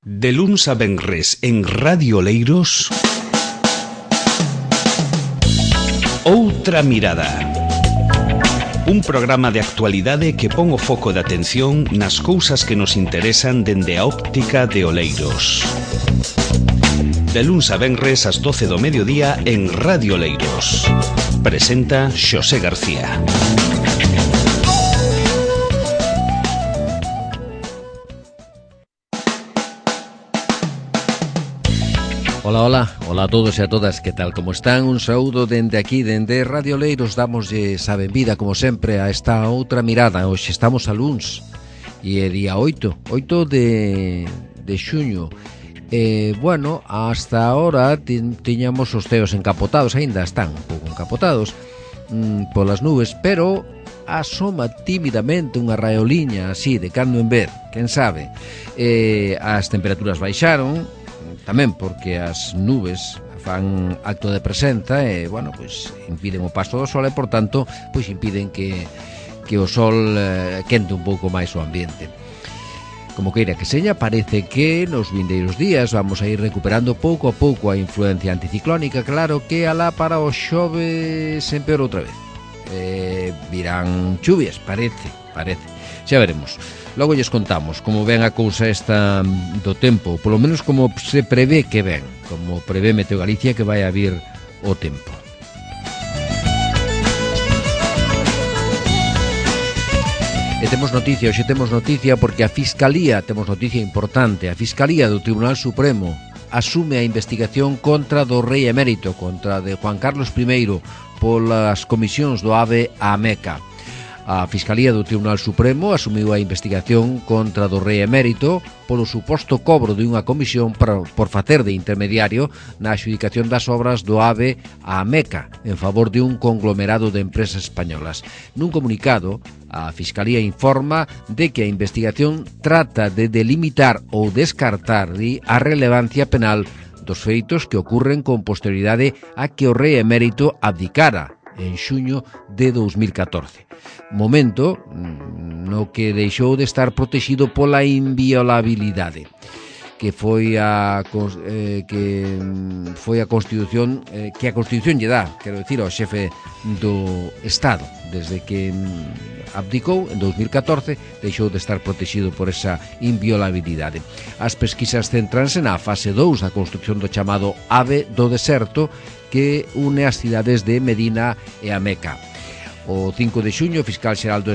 De luns a venres en Radio Oleiros, Outra Mirada. Un programa de actualidade que pon o foco de atención nas cousas que nos interesan dende a óptica de Oleiros. De luns a venres ás 12 do mediodía en Radio Oleiros. Presenta Xosé García. Ola a todos e a todas, que tal, como están? Un saúdo dende aquí, dende Radio Oleiros. Damoslle a benvida, como sempre, a esta outra mirada. Hoxe estamos a luns e é día 8 de xuño. Bueno, hasta ahora tiñamos os ceos encapotados, aínda están un pouco encapotados polas nubes, pero asoma tímidamente unha raeoliña así, de cando en ver, quen sabe. As temperaturas baixaron, tamén porque as nubes fan acto de presenza e, bueno, pois impiden o paso do sol e, por tanto, pois impiden que o sol quente un pouco máis o ambiente. Como queira que seña, parece que nos vindeiros días vamos a ir recuperando pouco a pouco a influencia anticiclónica. Claro que alá para o xoves empeora outra vez. Virán chuvias, parece. Xa veremos. Logo lles contamos como ven a cousa esta do tempo, polo menos como se prevé que ven, como prevé Meteo Galicia que vai a vir o tempo. E temos noticia, hoxe temos noticia porque a Fiscalía, temos noticia importante, a Fiscalía do Tribunal Supremo asume a investigación contra do rei emérito, contra de Juan Carlos I, polas comisións do AVE a Meca. A Fiscalía do Tribunal Supremo asumiu a investigación contra do rei emérito polo suposto cobro de unha comisión por facer de intermediario na adxudicación das obras do AVE a Meca en favor de un conglomerado de empresas españolas. Nun comunicado, a Fiscalía informa de que a investigación trata de delimitar ou descartar a relevancia penal dos feitos que ocurren con posterioridade a que o rei emérito abdicara en xuño de 2014. Momento no que deixou de estar protegido pola inviolabilidade que foi a Constitución, que a Constitución lle dá, quero dicir, ao xefe do Estado. Desde que abdicou en 2014 deixou de estar protegido por esa inviolabilidade. As pesquisas centranse na fase 2 da construcción do chamado AVE do Deserto, que une as cidades de Medina e a Meca. O 5 de xuño, a Fiscal Xeral do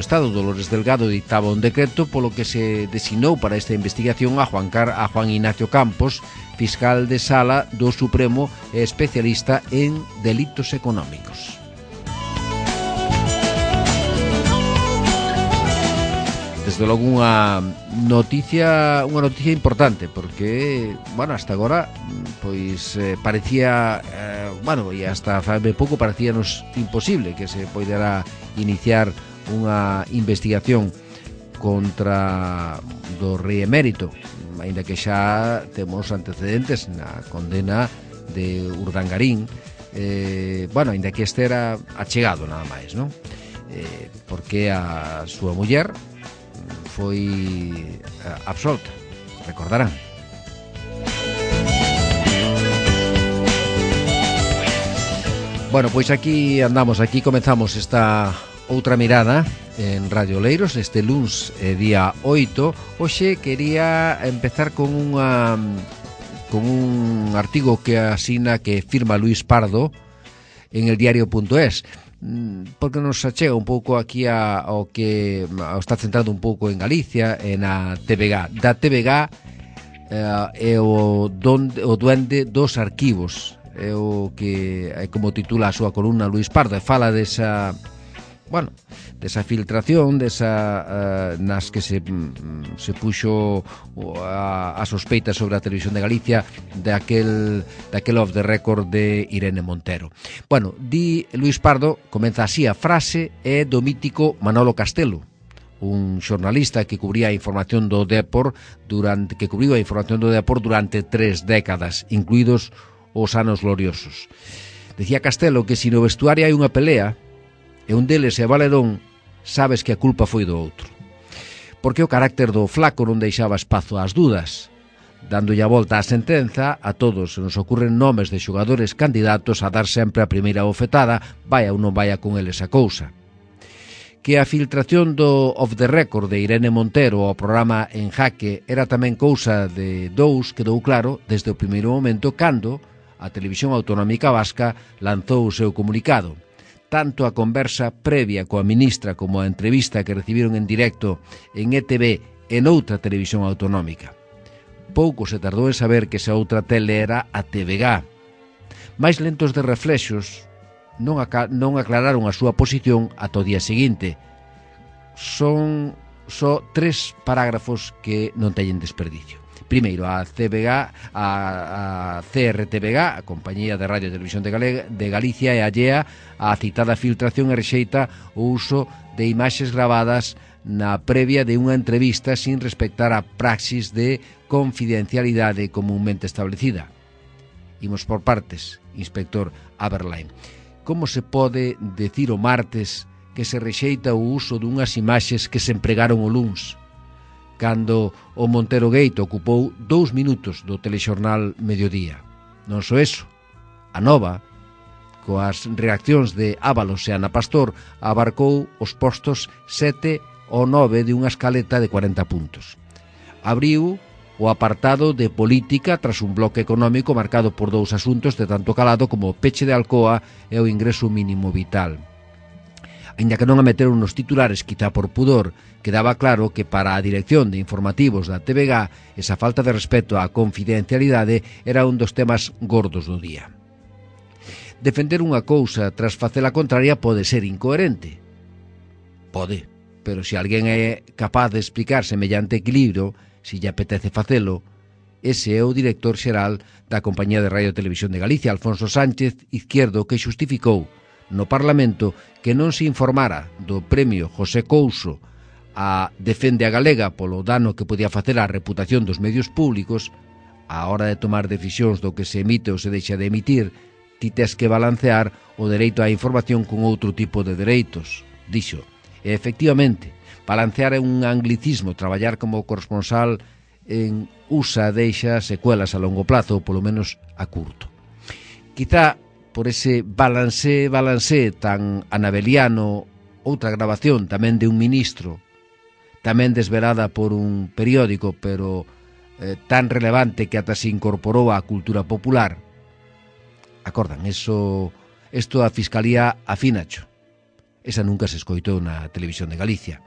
Estado, Dolores Delgado, dictaba un decreto polo que se designou para esta investigación a Juan Ignacio Campos, fiscal de sala do Supremo e especialista en delitos económicos. Desde logo unha noticia importante, porque, bueno, hasta agora pois parecía, e hasta fai pouco parecíanos imposible que se poidera iniciar unha investigación contra do rei emérito, aínda que xa temos antecedentes na condena de Urdangarín, aínda que este era achegado nada máis, non? Porque a súa muller foi absolta, recordarán. Bueno, pois aquí andamos, aquí comezamos esta outra mirada en Radio Oleiros, este luns día 8. Hoxe quería empezar con un artigo que firma Luis Pardo en el diario.es, porque nos achega un pouco aquí ao que está centrado un pouco en Galicia e na TVG. Da TVG é o duende dos arquivos, é o que é como titula a súa columna Luis Pardo, e fala desa filtración, nas que se puxo a sospeita sobre a Televisión de Galicia daquel off the record de Irene Montero. Bueno, di Luis Pardo, comeza así a frase, é do mítico Manolo Castelo, un xornalista que cubría a información do Depor durante 3 décadas, incluídos os anos gloriosos. Decía Castelo que se no vestuario hai unha pelea e un deles é Valedón, sabes que a culpa foi do outro. porque o carácter do flaco non deixaba espazo ás dudas. Dándolle a volta á sentenza, a todos se nos ocurren nomes de xogadores candidatos a dar sempre a primeira bofetada, vaya ou non vaya con eles a cousa. Que a filtración do Off the Record de Irene Montero ao programa En Jaque era tamén cousa de dous quedou claro desde o primeiro momento cando a Televisión Autonómica Vasca lanzou o seu comunicado. Tanto a conversa previa coa ministra como a entrevista que recibiron en directo en ETV e noutra televisión autonómica. Pouco se tardou en saber que esa outra tele era a TVG. Máis lentos de reflexos non aclararon a súa posición ata o día seguinte. Son só 3 parágrafos que non teñen desperdicio. Primeiro, a CRTVG, a Compañía de Radio e Televisión de Galicia, é allea a citada filtración e rexeita o uso de imaxes gravadas na previa de unha entrevista sin respectar a praxis de confidencialidade comúnmente establecida. Imos por partes, inspector Aberline. Como se pode decir o martes que se rexeita o uso dunhas imaxes que se empregaron o luns, cando o Montero Gate ocupou 2 minutos do telexornal Mediodía? Non só eso, a Nova, coas reaccións de Ábalos e Ana Pastor, abarcou os postos 7 ou 9 de unha escaleta de 40 puntos. Abriu o apartado de política tras un bloque económico marcado por 2 asuntos de tanto calado como o peche de Alcoa e o ingreso mínimo vital. Aínda que non a meteron nos titulares, quizá por pudor, quedaba claro que para a dirección de informativos da TVG esa falta de respeto á confidencialidade era un dos temas gordos do día. Defender unha cousa tras facer a contraria pode ser incoherente. Pode, pero se alguén é capaz de explicar semellante equilibrio, se lle apetece facelo, ese é o director xeral da Compañía de Radio e Televisión de Galicia, Alfonso Sánchez Izquierdo, que xustificou no Parlamento que non se informara do premio José Couso a Defende a Galega polo dano que podía facer á reputación dos medios públicos. A hora de tomar decisións do que se emite ou se deixa de emitir, ti tes que balancear o dereito á información con outro tipo de dereitos, dixo. E efectivamente, balancear é un anglicismo, traballar como corresponsal en USA deixa secuelas a longo plazo, ou polo menos a curto. Quizá por ese balancé tan anabeliano, outra grabación tamén de un ministro, tamén desvelada por un periódico, pero tan relevante que ata se incorporou á cultura popular. Acordan, isto a Fiscalía afínacho. Esa nunca se escoitou na Televisión de Galicia.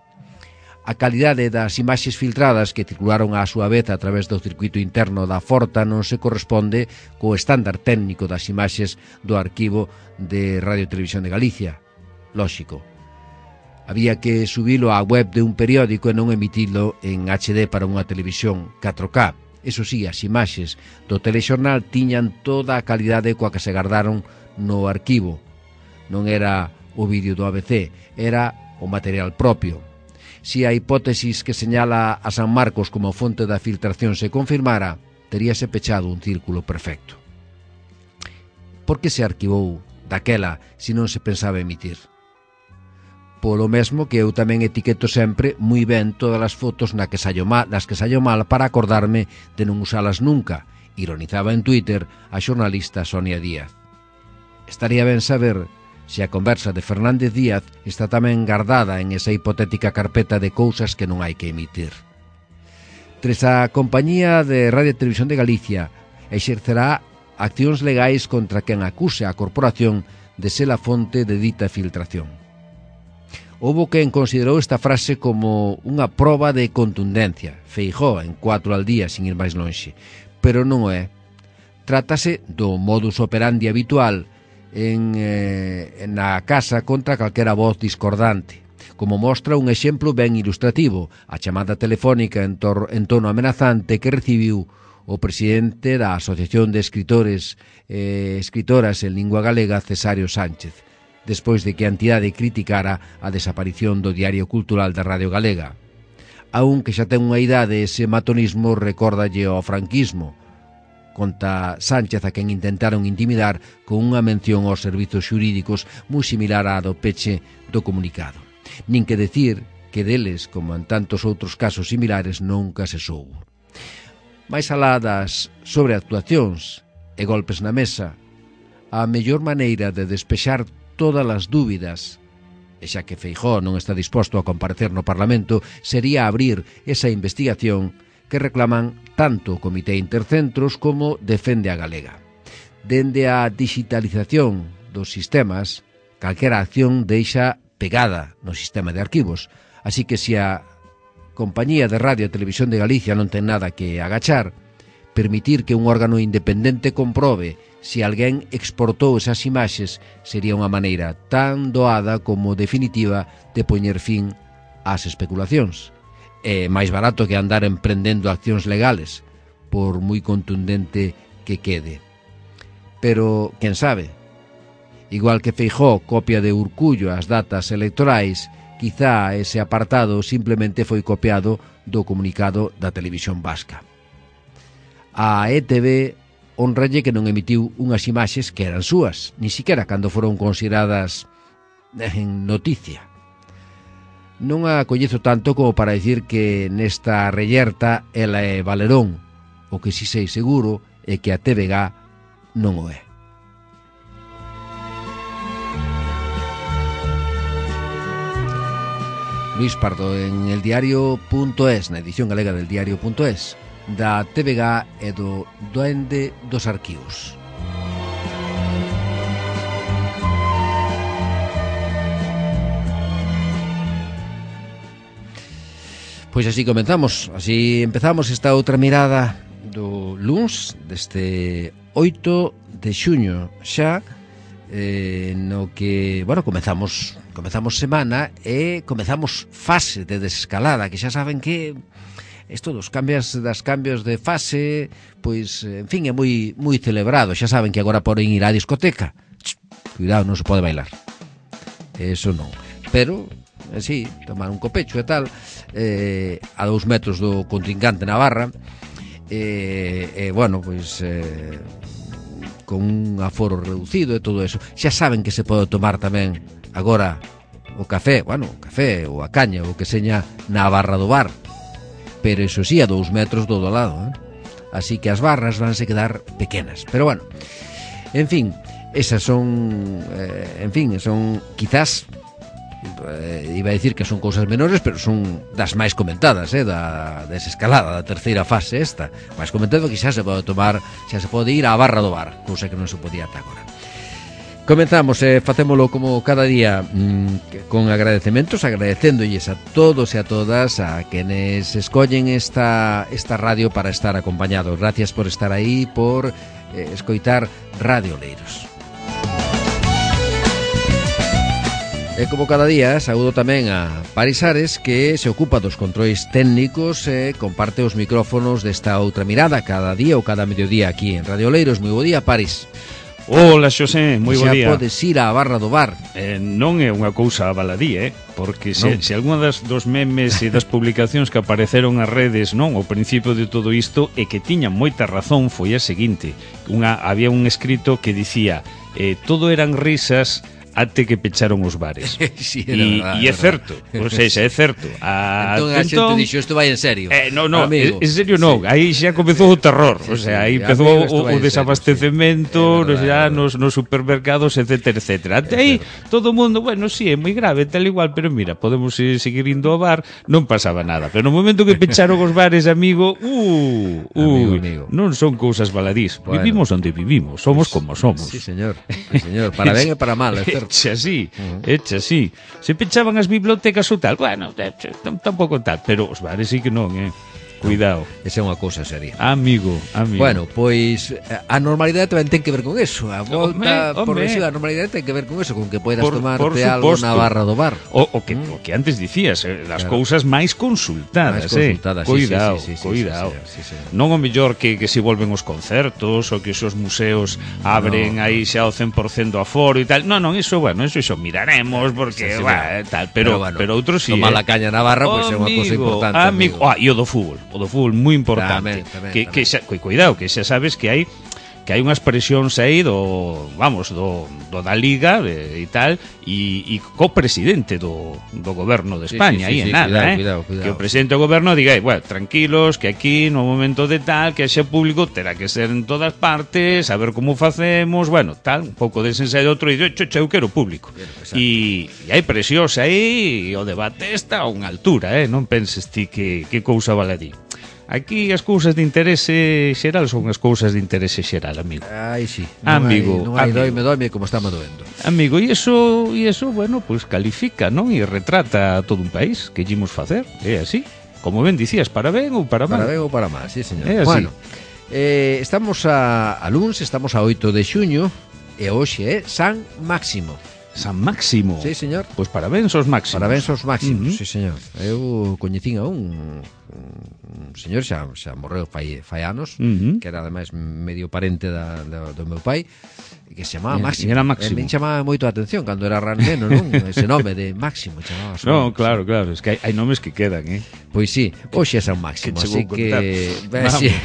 A calidade das imaxes filtradas que circularon á súa vez a través do circuito interno da Forta non se corresponde co estándar técnico das imaxes do arquivo de Radio e Televisión de Galicia. Lóxico. Había que subilo á web de un periódico e non emitilo en HD para unha televisión 4K. Eso sí, as imaxes do telexornal tiñan toda a calidade coa que se gardaron no arquivo. Non era o vídeo do ABC, era o material propio. Si a hipótesis que señala a San Marcos como fonte da filtración se confirmara, teríase pechado un círculo perfecto. Por que se arquivou daquela se non se pensaba emitir? Polo mesmo que eu tamén etiqueto sempre moi ben todas as fotos nas que saio mal para acordarme de non usalas nunca, ironizaba en Twitter a xornalista Sonia Díaz. Estaría ben saber se a conversa de Fernández Díaz está tamén guardada en esa hipotética carpeta de cousas que non hai que emitir. Tres a Compañía de Radio e Televisión de Galicia exercerá accións legais contra quen acuse a corporación de ser a fonte de dita filtración. Houbo quen considerou esta frase como unha proba de contundencia. Feijóo en 4 al día, sin ir máis lonxe. Pero non o é. Trátase do modus operandi habitual na casa contra calquera voz discordante, como mostra un exemplo ben ilustrativo, a chamada telefónica en tono amenazante que recibiu o presidente da Asociación de Escritores e Escritoras en Lingua Galega, Cesario Sánchez, despois de que a entidade criticara a desaparición do Diario Cultural da Radio Galega. Aún que xa ten unha idade, ese matonismo recórdalle ao franquismo, conta Sánchez, a quen intentaron intimidar con unha mención aos servizos xurídicos moi similar á do peche do comunicado. Nin que decir que deles, como en tantos outros casos similares, nunca se soubo. Mais alá das sobreactuacións e golpes na mesa, a mellor maneira de despexar todas as dúbidas, e xa que Feijóo non está disposto a comparecer no Parlamento, sería abrir esa investigación que reclaman tanto o Comité Intercentros como Defende a Galega. Dende a digitalización dos sistemas, calquera acción deixa pegada no sistema de arquivos, así que se a Compañía de Radio e Televisión de Galicia non ten nada que agachar, permitir que un órgano independente comprobe se alguén exportou esas imaxes sería unha maneira tan doada como definitiva de poñer fin ás especulacións. É máis barato que andar emprendendo accións legales, por moi contundente que quede. Pero, quen sabe, igual que Feijóo copia de Urcullo as datas electorais, quizá ese apartado simplemente foi copiado do comunicado da Televisión Vasca. A ETV honralle que non emitiu unhas imaxes que eran súas, ni siquiera cando foron consideradas en noticia. Non a coñezo tanto como para dicir que nesta rellerta ela é Valerón, o que si sei seguro é que a TVG non o é. Luis Pardo en eldiario.es, na edición galega del diario.es, da TVG e do Duende dos Arquivos. Pois así comenzamos, así empezamos esta outra mirada do luns deste 8 de xuño xa, no que, bueno, comezamos semana e comezamos fase de desescalada, que xa saben que isto dos cambios de fase, pois, en fin, é moi celebrado. Xa saben que agora poden ir á discoteca. Cuidado, non se pode bailar. Eso non. Pero, así, tomar un copecho e tal, a 2 metros do contrincante na barra, bueno, pois, con un aforo reducido e todo eso. Xa saben que se pode tomar tamén agora o café, bueno, o café ou a caña, o que seña na barra do bar. Pero eso sí, a 2 metros do lado, así que as barras vanse quedar pequenas. Pero bueno, en fin, esas son, son quizás, iba a decir que son cousas menores, pero son das máis comentadas, da desescalada, da terceira fase esta. Máis comentado que xa se pode tomar, xa se pode ir á barra do bar, cousa que non se podía ata agora. Comenzamos, facémolo como cada día con agradecementos, agradecéndolles a todos e a todas a quenes escollen esta radio para estar acompañados. Gracias por estar aí, por escoitar Radio Oleiros. E como cada día, saúdo tamén a Paris Ares, que se ocupa dos controis técnicos e comparte os micrófonos desta outra mirada cada día ou cada mediodía aquí en Radio Oleiros. Moi bo día, Paris. Hola, Xosé, moi bo día. Xa podes ir á barra do bar. Non é unha cousa baladí, porque se algunha dos memes e das publicacións que apareceron nas redes, non, ao principio de todo isto, e que tiñan moita razón, foi a seguinte. Había un escrito que dicía, todo eran risas até que pecharon os bares. Sí, e é certo, ou seja, é certo. Entón a xente dixo, isto vai en serio. Non, en serio non, sí. Aí xa comezou o terror, o sea, aí empezou o desabastecemento, xa nos supermercados, etcétera, etcétera. Até aí, todo o mundo, bueno, sí, é moi grave, tal igual, pero mira, podemos seguir indo ao bar, non pasaba nada. Pero no momento que pecharon os bares, amigo, amigo. Non son cousas baladís. Bueno, vivimos onde vivimos, somos como somos. Sí, señor, para ben e para mal, é certo. Echa así. Se pechaban as bibliotecas ou tal, bueno, tampouco tal, pero os bares sí que non, Cuidado. Esa é unha cousa seria. Amigo. Bueno, pois a normalidade tamén ten que ver con eso. A volta por a normalidade ten que ver con eso, con que poidas tomarte algo na barra do bar. O que antes dicías, as cousas máis consultadas, Cuidado. Non o mellor que se volven os concertos ou que os museos abren aí xa o 100% do aforo e tal. Non, iso, bueno, eso miraremos porque, tal, pero outros sí. Tomar a caña na barra, pois é unha cousa importante. Amigo, e o do fútbol moi importante. Tamén. Cuidado, que xa sabes que hai que hai unhas presións aí do da Liga e tal, e co presidente do goberno de España, aí en nada, cuidado. Que o presidente do goberno diga, bueno, tranquilos, que aquí no momento de tal, que xe público terá que ser en todas partes, a ver como facemos, bueno, tal, un pouco de sensa de outro, e eu quero público. E hai presións aí, e o debate está a unha altura, non penses ti que cousa vale di. Aquí as cousas de interese xeral son as cousas de interese xeral, amigo. Ai, sí. Non hai doime como está me doendo. Amigo, e iso, bueno, pues califica, non? E retrata a todo un país que ímos facer, é así. Como ben dicías, para ben ou para mal. Para ben ou para mal, sí, señor. É así. Bueno, estamos a luns, estamos a 8 de xuño, e hoxe é San Máximo. San Máximo. Sí, señor. Pois parabéns aos máximos. Parabéns aos máximos, sí, señor. Eu coñecín a un señor xa morreu fai anos, que era ademais medio parente do meu pai, que se chamaba Máximo. Era Máximo. Me chamaba moito a atención cando era raneno, non? Ese nome de Máximo chamaba. No, claro, es que hai nomes que quedan, Pois sí, hoxe é San Máximo, así que sí.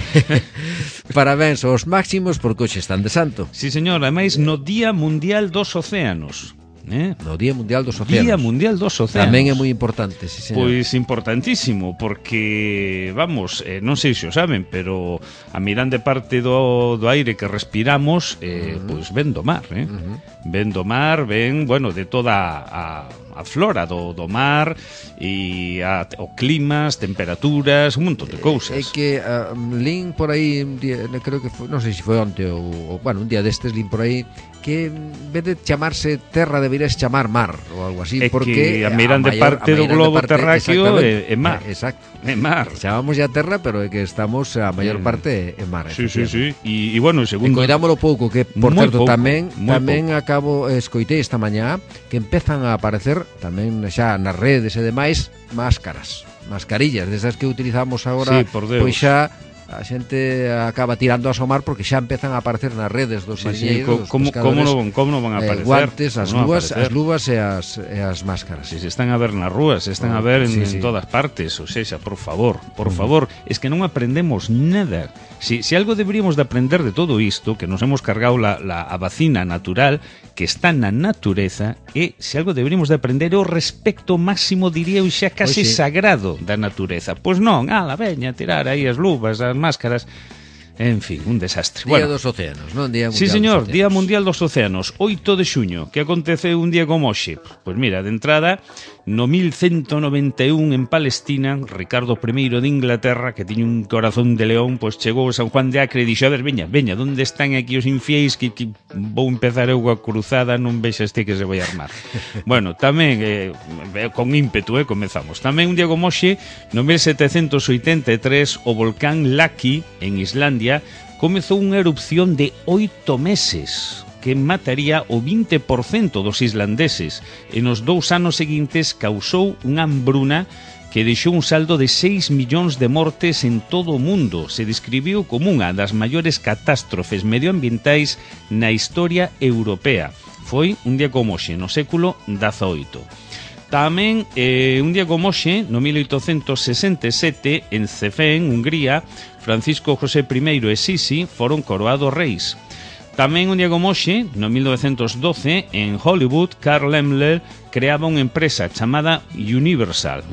Parabéns aos máximos porque hoxe están de santo. Sí, señor, ademais no Día Mundial dos Océanos. No Día Mundial dos Océanos. Día Mundial dos Océanos. Tamén é moi importante, sí, señor. Pois importantísimo, porque, vamos, non sei se o saben, pero a mirande parte do aire que respiramos, pois ven do mar, ven do mar, ven, bueno, de toda a flora do mar e o clima, as temperaturas, un montón de cousas. É que lín por aí un día, creo que foi, non sei se foi onte ou bueno, un día destes lín por aí que en vez de chamarse terra deberías chamar mar ou algo así, porque a mirande parte do globo terráqueo é mar. Exacto. É mar. Chamamos ya terra, pero é que estamos a maior parte en mar. Sí. E bueno, segundo, coidámolo pouco, que por certo pouco, tamén escoitei esta mañá que empezan a aparecer tamén xa nas redes e demais mascarillas desas que utilizamos agora, pois xa a xente acaba tirando a asomar porque xa empezan a aparecer nas redes dos mariñeiros, como non van a aparecer? Guantes, as luvas e as máscaras. Se están a ver nas rúas, se están a ver en todas partes, ou seja, por favor, es que non aprendemos nada. Si algo deberíamos de aprender de todo isto, que nos hemos cargado a vacina natural, que está na natureza, e se algo deberíamos de aprender é o respecto máximo, diría eu, xa case sagrado da natureza. Pois non, veña, tirar aí as luvas, as máscaras, en fin, un desastre. Día dos Océanos, non? Día Mundial sí, señor, dos Océanos. Día Mundial dos Océanos, 8 de xuño. Que aconteceu un día como hoxe? Pois mira, de entrada, no 1191 en Palestina, Ricardo I de Inglaterra, que tiña un corazón de león, pois chegou a San Juan de Acre e dixo, a ver, veña, onde están aquí os infiéis, que vou empezar eu a cruzada, non vexas ti que se vai armar. Bueno, tamén, con ímpetu, comezamos. Tamén un día como hoxe, no 1783, o volcán Laki, en Islandia, comezou unha erupción de 8 meses que mataría o 20% dos islandeses e nos 2 anos seguintes causou unha hambruna que deixou un saldo de 6 millóns de mortes en todo o mundo. Se describiu como unha das maiores catástrofes medioambientais na historia europea. Foi un día como hoxe, no século XVIII. Tamén, un día como hoxe, no 1867, en Cefén, Hungría, Francisco José I e Sisi foron coroados reis. Tamén un día como hoxe, no 1912, en Hollywood, Carl Laemmle creaba unha empresa chamada Universal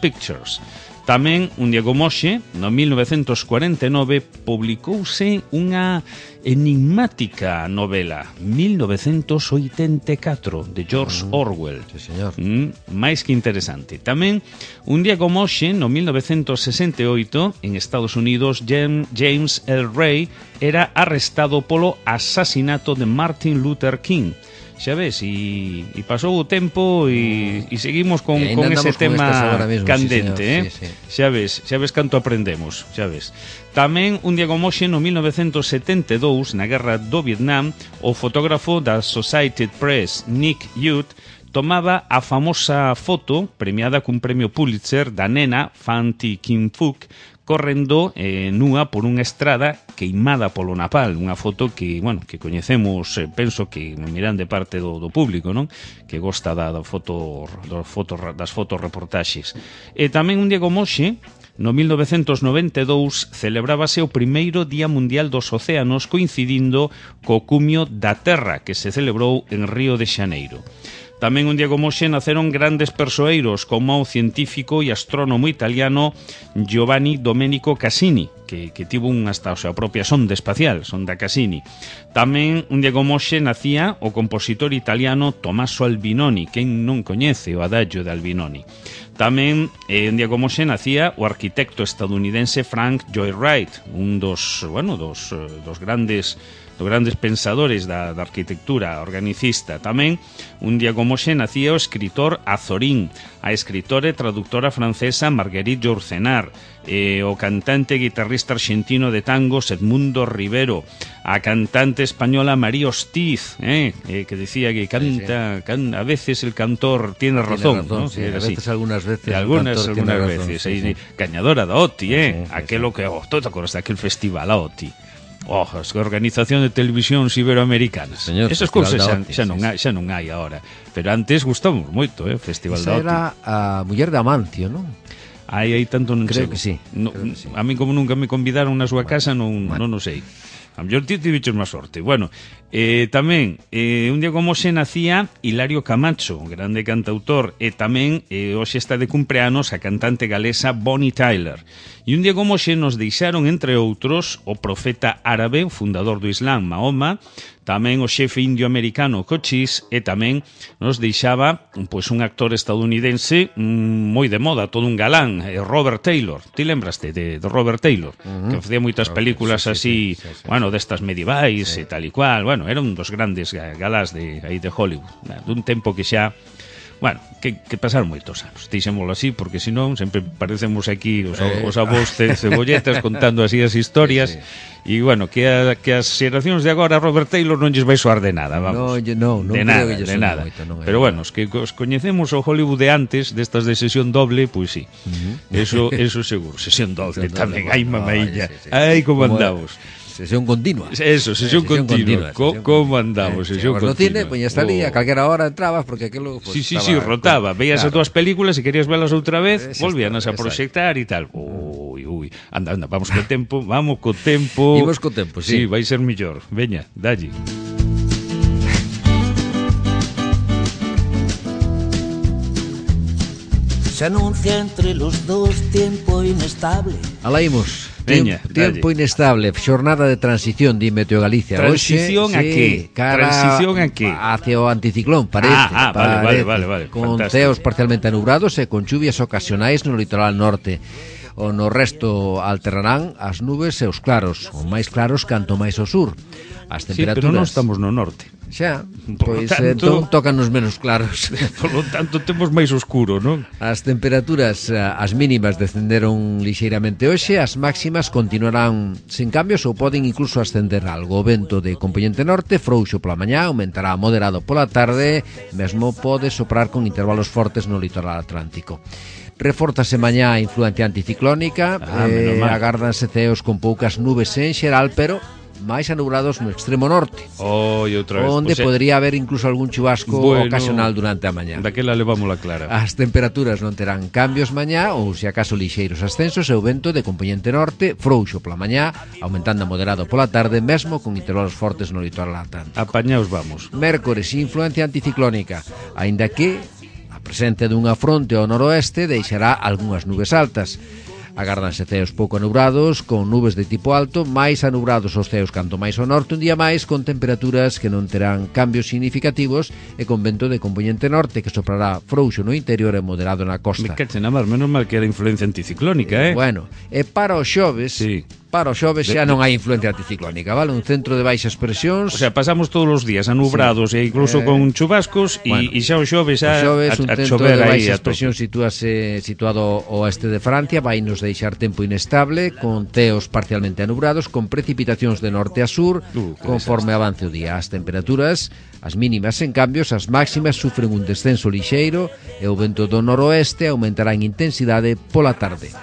Pictures. Tamén, un día como hoxe, no 1949, publicouse unha enigmática novela, 1984, de George Orwell. Sí, señor. Máis que interesante. Tamén, un día como hoxe, no 1968, en Estados Unidos, James L. Ray era arrestado polo asasinato de Martin Luther King. Xa ves, e pasou o tempo e seguimos con ese tema mismo, candente, sí. Xa ves canto aprendemos, xa ves. Tamén, un día como hoxe, no 1972, na guerra do Vietnam, o fotógrafo da Associated Press, Nick Youth, tomaba a famosa foto, premiada cun premio Pulitzer, da nena Fanti Kim Phuc, correndo nua por unha estrada queimada polo napal, unha foto que, bueno, que coñecemos, penso que miran de parte do público, non? Que gosta das fotoreportaxes. E tamén un día como hoxe No 1992 celebrábase o primeiro Día Mundial dos Océanos coincidindo co cumio da Terra que se celebrou en Río de Xaneiro. Tamén un día como hoxe naceron grandes persoeiros como o científico e astrónomo italiano Giovanni Domenico Cassini, que tivo hasta a propia sonda espacial, sonda Cassini. Tamén un día como hoxe nacía o compositor italiano Tommaso Albinoni, quen non coñece o adagio de Albinoni. Tamén un día como hoxe nacía o arquitecto estadounidense Frank Lloyd Wright, un dos grandes pensadores da arquitectura organicista. Tamén un día como hoxe nacía o escritor Azorín, a escritora e traductora francesa Marguerite Yourcenar, o cantante e guitarrista argentino de tangos Edmundo Rivero, a cantante española María Hostiz, que decía que canta, a veces el cantor tiene razón, ¿no? Sí, a veces, algunas veces cañadora da OTI, aquelo que, tú te acordas daquel festival a OTI, as organización de televisións iberoamericanas. Señor, esas cousas xa non hai agora, pero antes gustamos moito, o Festival da OTI. Esa era a muller de Amancio, non? Aí tanto non sei. Creo que sí. A mí como nunca me convidaron na súa casa non o sei. A mellor ti tiviches máis sorte. Bueno, tamén un día como hoxe nacía Hilario Camacho, grande cantautor, e tamén hoxe está de cumpleanos a cantante galesa Bonnie Tyler. E un día como hoxe nos deixaron, entre outros, o profeta árabe, fundador do Islam, Mahoma, tamén o xefe indio-americano Cochise, e tamén nos deixaba un actor estadounidense moi de moda, todo un galán, Robert Taylor. Ti lembraste de Robert Taylor? Que facía moitas películas así, bueno, destas medievais e tal e cual. Bueno, era un dos grandes galás de Hollywood, dun tempo que xa, bueno, que pasaron moitos anos, dixémolo así, porque senón sempre parecemos aquí os avós cebolletas contando así as historias. E, bueno, que as xeracións de agora Robert Taylor non lles vai soar de nada, vamos. Non de nada. Pero, bueno, os que os coñecemos o Hollywood de antes, destas de sesión doble, pois sí. Eso seguro, sesión doble tamén. Ai, mamailla. Ai, como andamos. Sesión continua. Eso, sesión continua. Como andamos, sesión continua. No cine, poñas ali, a calquera hora entrabas, porque aquilo... Sí, rotaba. Veías as túas películas e querías velas outra vez, volvíanas a proxectar e tal. Ui, anda, vamos co tempo. Imos co tempo, sí. Sí, vai ser mellor. Veña, dalle. Se anuncia entre los dos tiempo inestable. Alá imos. Veña, tempo inestable, xornada de transición, di Meteo Galicia. Transición a que? Transición a que? Hacia o anticiclón, parece. Vale. Con ceos parcialmente anubrados e con chuvias ocasionais no litoral norte. O no resto alternarán as nubes e os claros, o máis claros canto máis ao sur. As temperaturas... Sí, pero non estamos no norte. Xa, pois entón tócanos menos claros. Por lo tanto, temos máis oscuro, non? As temperaturas, as mínimas descenderon lixeiramente hoxe, as máximas continuarán sin cambios ou poden incluso ascender algo. O vento de componente norte, frouxo pola mañá, aumentará moderado pola tarde, mesmo pode soprar con intervalos fortes no litoral atlántico. Reforzase mañá a influencia anticiclónica, agárdanse ceos con poucas nubes en xeral, pero máis anubrados no extremo norte, onde podría haber incluso algún chubasco ocasional durante a mañá. Daquela levámola clara. As temperaturas non terán cambios mañá, ou se acaso lixeiros ascensos, e o vento de componente norte frouxo pola mañá, aumentando a moderado pola tarde, mesmo con intervalos fortes no litoral atlántico. Apañaos vamos. Mércores, influencia anticiclónica, aínda que a presencia dunha fronte ao noroeste deixará algunhas nubes altas. Agárdanse ceos pouco anubrados, con nubes de tipo alto, máis anubrados os ceos canto máis ao norte, un día máis con temperaturas que non terán cambios significativos e con vento de componente norte que soprará frouxo no interior e moderado na costa. Me cachen a mar, menos mal que era influencia anticiclónica, Bueno, e para os xoves... Sí. Para os xoves xa non hai influencia anticiclónica, vale? Un centro de baixas presións. O sea, pasamos todos os días anubrados e incluso con chubascos e xa o xoves xa un centro de baixas presións situado ao oeste de Francia, vai nos deixar tempo inestable, con ceos parcialmente anubrados, con precipitacións de norte a sur, conforme avance o día. As temperaturas, as mínimas en cambios, as máximas sufren un descenso lixeiro e o vento do noroeste aumentará en intensidade pola tarde.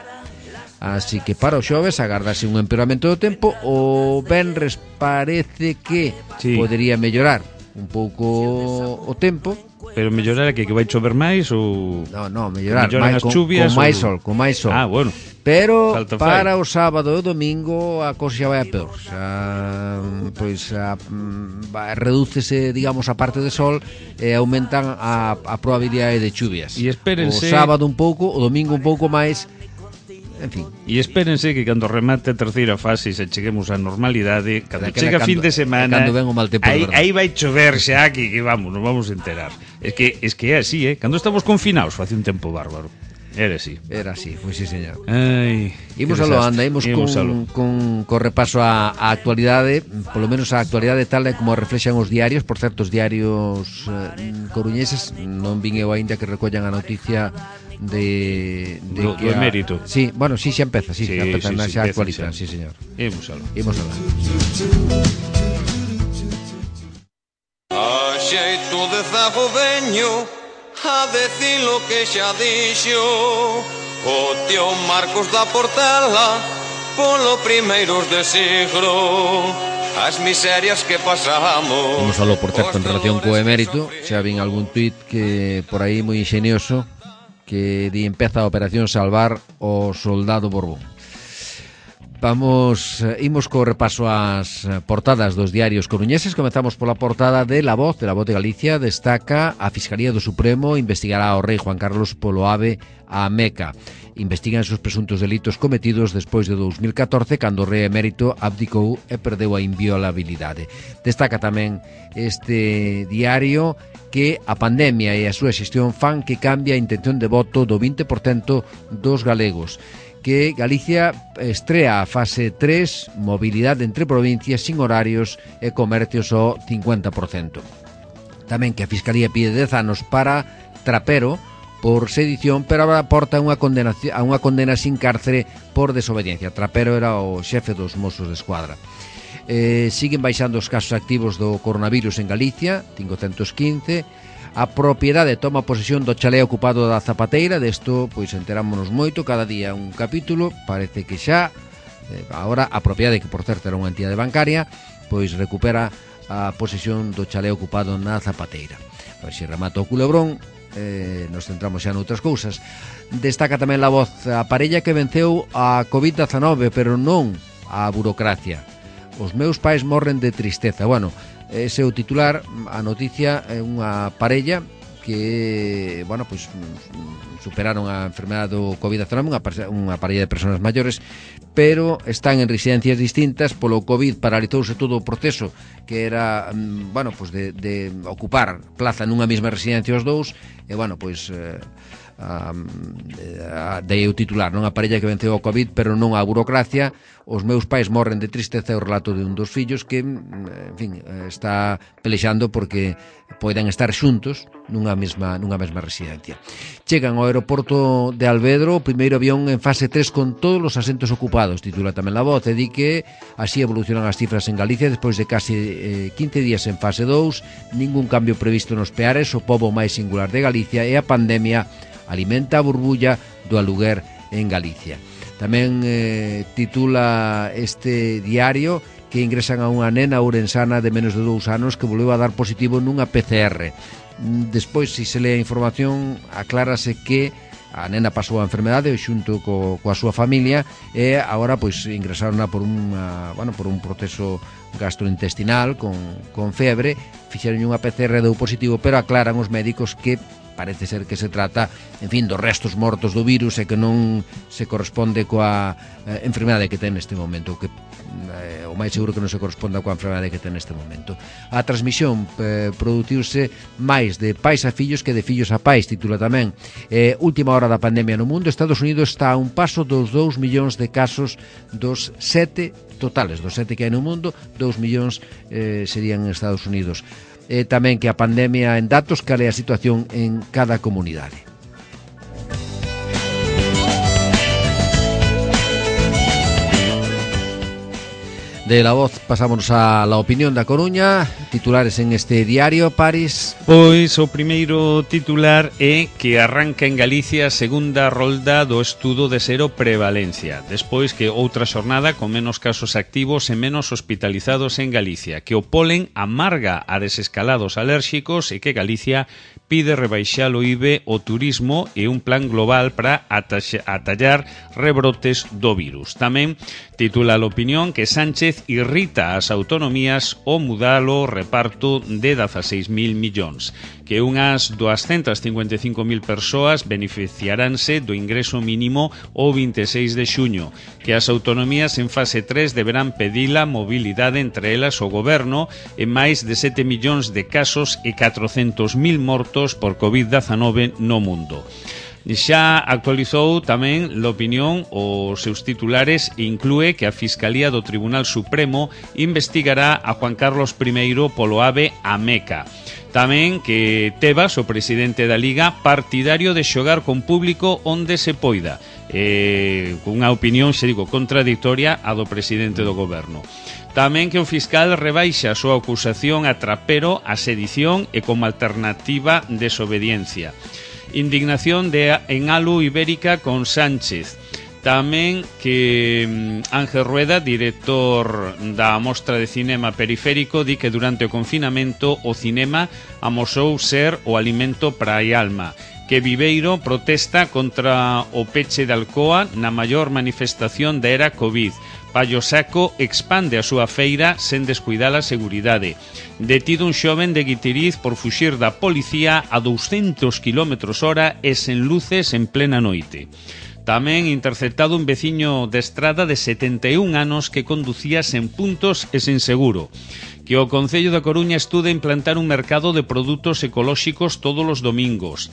Así que para os xoves agardase un empeoramento do tempo. O venres parece que podería mellorar. un pouco o tempo. Pero mellorar que vai chover máis ou... No, mellorar melloran as chuvias con máis sol. Ah, bueno. Pero Falta para o sábado e o domingo a cousa vai a peor. Redúcese, digamos, a parte de sol e aumentan a probabilidade de chuvias. E espérense... O sábado un pouco, o domingo un pouco máis. En fin. E espérense que cando remate a terceira fase e se cheguemos á normalidade, cando chega fin de semana, cando ven o mal tempo, aí vai chover xa que vamos, nos vamos a enterar. Es que é así, cando estamos confinados, face un tempo bárbaro. Era así, pois sí, señor. Ai, imos con repaso á actualidade, polo menos a actualidade tal e como reflexan os diarios. Por certo, os diarios coruñeses non vin eu aínda que recollan a noticia do emérito. Sí, bueno, sí, xa empeza, xa actualizan, sí, señor. Imos aló. A xeito de zago veño a decir lo que xa dixo o tío Marcos da Portela polo primeiros de siglo, as miserias que pasamos. Imos aló, por certo, en relación co emérito, xa vin algún tuit que por aí moi ingenioso que empeza a operación Salvar o Soldado Borbón. Imos co repaso ás portadas dos diarios coruñeses. Comezamos pola portada de La Voz de Galicia. Destaca: a Fiscalía do Supremo investigará ao rei Juan Carlos polo ave a Meca. Investigan os presuntos delitos cometidos despois de 2014, cando o rei emérito abdicou e perdeu a inviolabilidade. Destaca tamén este diario que a pandemia e a súa xestión fan que cambie a intención de voto do 20% dos galegos, que Galicia estrea a fase 3, mobilidade entre provincias sin horarios e comercios ao 50%. Tamén que a Fiscalía pide 10 anos para Trapero por sedición, pero agora aporta unha condena sin cárcere por desobediencia. Trapero era o xefe dos Mossos de Escuadra. Siguen baixando os casos activos do coronavirus en Galicia, 515. A propiedade toma posesión do chalé ocupado da Zapateira. Desto, pois, enterámonos moito, cada día un capítulo. Parece que xa agora a propiedade, que por certo era unha entidade bancaria, pois recupera a posesión do chalé ocupado na Zapateira. Pois se remata o culebrón, nos centramos xa noutras cousas. Destaca tamén La Voz: a parella que venceu a COVID-19, pero non a burocracia. Os meus pais morren de tristeza. Bueno, ese é o titular. A noticia é unha parella que, bueno, pois superaron a enfermedade do COVID-19, unha parella de persoas maiores, pero están en residencias distintas. Polo COVID paralizouse todo o proceso, que era, bueno, pois de ocupar plaza nunha mesma residencia os dous, e, bueno, pois dei o titular, non? A parella que venceu o COVID, pero non a burocracia. Os meus pais morren de tristeza. É o relato de un dos fillos que, en fin, está pelexando porque poden estar xuntos nunha mesma residencia. Chegan ao aeroporto de Alvedro o primeiro avión en fase 3 con todos os asentos ocupados, titula tamén La Voz, e di que así evolucionan as cifras en Galicia despois de case 15 días en fase 2, ningún cambio previsto nos peares, o pobo máis singular de Galicia, e a pandemia alimenta a burbulla do aluguer en Galicia. Tamén titula este diario que ingresan a unha nena ourensana de menos de 2 anos que volveu a dar positivo nunha PCR. Despois, se lê a información, aclárase que a nena pasou a enfermedade xunto coa súa familia e agora pois ingresaron por un proceso gastrointestinal con febre. Fixeron unha PCR, deu positivo, pero aclaran os médicos que parece ser que se trata, en fin, dos restos mortos do virus e que non se corresponde coa enfermedade que ten neste momento, que o máis seguro que non se corresponda coa enfermedade que ten neste momento. A transmisión produciuse máis de pais a fillos que de fillos a pais, titula tamén. Última hora da pandemia no mundo. Estados Unidos está a un paso dos 2 millóns de casos dos 7 totales, dos 7 que hai no mundo, 2 millóns serían en Estados Unidos. Tamén que a pandemia en datos, cal é a situación en cada comunidade. De La Voz pasámonos a La Opinión da Coruña. Titulares en este diario, París. Pois o primeiro titular é que arranca en Galicia a segunda rolda do estudo de seroprevalencia, despois que outra xornada con menos casos activos e menos hospitalizados en Galicia, que o polen amarga a desescalados alérxicos e que Galicia pide rebaixar o IBE o turismo e un plan global para atallar rebrotes do virus. Tamén titula a Opinión que Sánchez irrita as autonomías ao mudar o reparto de 16.000 millóns, que unhas 255.000 persoas beneficiaránse do ingreso mínimo o 26 de xuño, que as autonomías en fase 3 deberán pedir a mobilidade entre elas o goberno e máis de 7 millóns de casos e 400.000 mortos por COVID-19 no mundo. Xa actualizou tamén L'Opinión os seus titulares e inclúe que a Fiscalía do Tribunal Supremo investigará a Juan Carlos I polo AVE a Meca. Tamén que Tebas, o presidente da Liga, partidario de xogar con público onde se poida. Cunha opinión, xe digo, contradictoria a do presidente do goberno. Tamén que o fiscal rebaixa a súa acusación a Trapero a sedición e como alternativa desobediencia. Indignación en Alu Ibérica con Sánchez. Tamén que Ángel Rueda, director da Mostra de Cinema Periférico, di que durante o confinamento o cinema amosou ser o alimento para a alma. Que Viveiro protesta contra o peche de Alcoa na maior manifestación da era Covid. Pallo Saco expande a súa feira sen descuidar a seguridade. Detido un xoven de Guitiriz por fuxir da policía a 200 km/h e sen luces en plena noite. Tamén interceptado un veciño de Estrada de 71 anos que conducía sen puntos e sen seguro. Que o Concello da Coruña estuda implantar un mercado de produtos ecolóxicos todos os domingos.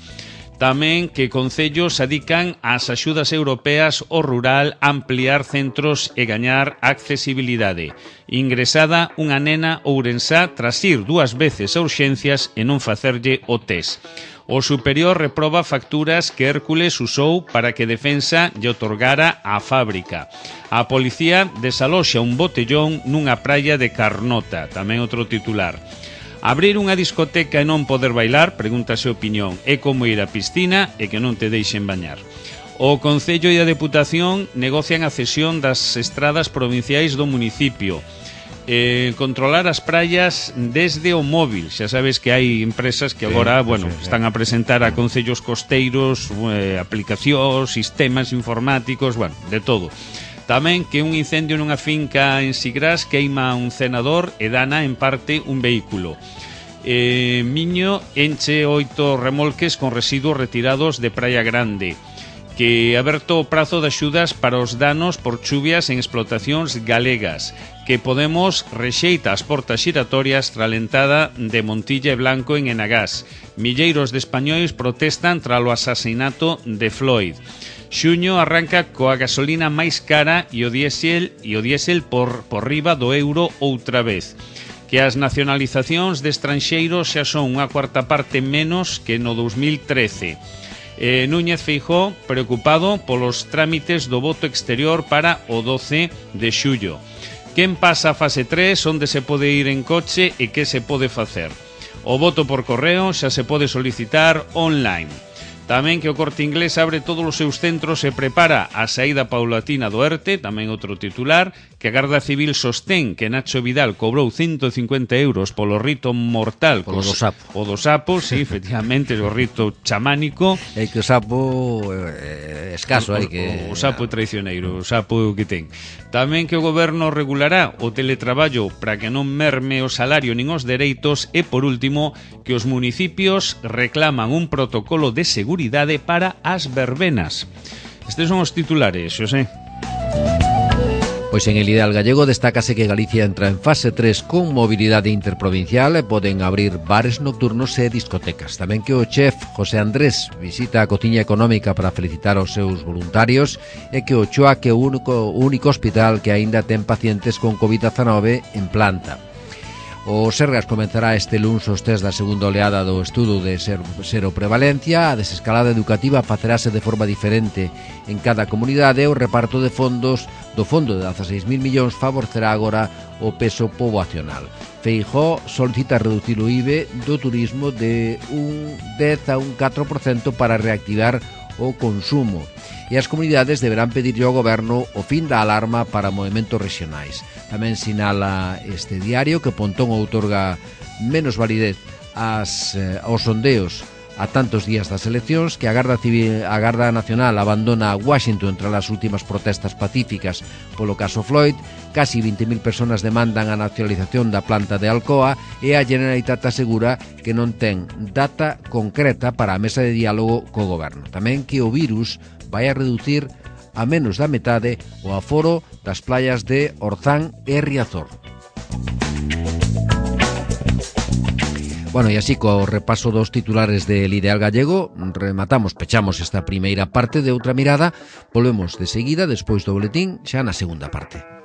Tamén que concellos adican ás axudas europeas ao rural a ampliar centros e gañar accesibilidade. Ingresada unha nena ourensá tras ir 2 veces a urxencias e non facerlle o test. O superior reproba facturas que Hércules usou para que Defensa lle otorgara á fábrica. A policía desaloxa un botellón nunha praia de Carnota, tamén outro titular. Abrir unha discoteca e non poder bailar, pregúntase Opinión, é como ir á piscina e que non te deixen bañar. O Concello e a Deputación negocian a cesión das estradas provinciais do municipio. Controlar as praias desde o móvil. Xa sabes que hai empresas que agora, están a presentar a concellos costeiros, aplicacións, sistemas informáticos, de todo. Tamén que un incendio nunha finca en Sigrás queima un cenador e dana en parte un vehículo. Miño enche 8 remolques con residuos retirados de Praia Grande. Que aberto o prazo de axudas para os danos por chuvias en explotacións galegas. Que Podemos rexeita as portas xiratorias tras a lentada de Montilla e Blanco en Enagás. Milleiros de españois protestan tras o asasinato de Floyd. Xuño arranca coa gasolina máis cara e o diésel por riba do euro outra vez. Que as nacionalizacións de estranxeiros xa son unha cuarta parte menos que no 2013. Núñez Feijóo preocupado polos trámites do voto exterior para o 12 de xullo. Quen pasa a fase 3, onde se pode ir en coche e que se pode facer. O voto por correo xa se pode solicitar online. Tamén que o Corte Inglés abre todos os seus centros e prepara a saída paulatina do ERTE, tamén outro titular, que a Garda Civil sostén que Nacho Vidal cobrou 150 euros polo rito mortal. Polo do sapo. O do sapo, sí, efectivamente, o rito chamánico. É que o sapo escaso, hai que... O sapo é traicioneiro, o sapo é o que ten. Tamén que o goberno regulará o teletraballo para que non merme o salario nin os dereitos e, por último, que os municipios reclaman un protocolo de seguridade para as verbenas. Estes son os titulares, Xosé. Pois en el ideal gallego destácase que Galicia entra en fase 3 con mobilidade interprovincial e poden abrir bares nocturnos e discotecas. Tamén que o chef José Andrés visita a cociña económica para felicitar aos seus voluntarios e que o Choac é o único hospital que aínda ten pacientes con COVID-19 en planta. O Sergas comenzará este luns os test da segunda oleada do estudo de seroprevalencia. A desescalada educativa facerase de forma diferente en cada comunidade. O reparto de fondos do fondo de 16.000 millóns favorecerá agora o peso poboacional. Feijóo solicita reducir o IBE do turismo de un 10 a un 4% para reactivar o consumo. E as comunidades deberán pedirlle ao goberno o fin da alarma para movementos regionais. Tamén sinala este diario que Pontón outorga menos validez aos sondeos a tantos días das eleccións, que a Garda Nacional abandona Washington tras as últimas protestas pacíficas polo caso Floyd, casi 20.000 personas demandan a nacionalización da planta de Alcoa e a Generalitat asegura que non ten data concreta para a mesa de diálogo co goberno. Tamén que o virus vai a reducir a menos da metade o aforo das playas de Orzán e Riazor. Bueno, e así co repaso dos titulares del Ideal Gallego pechamos esta primeira parte de Outra Mirada. Volvemos de seguida, despois do boletín, xa na segunda parte.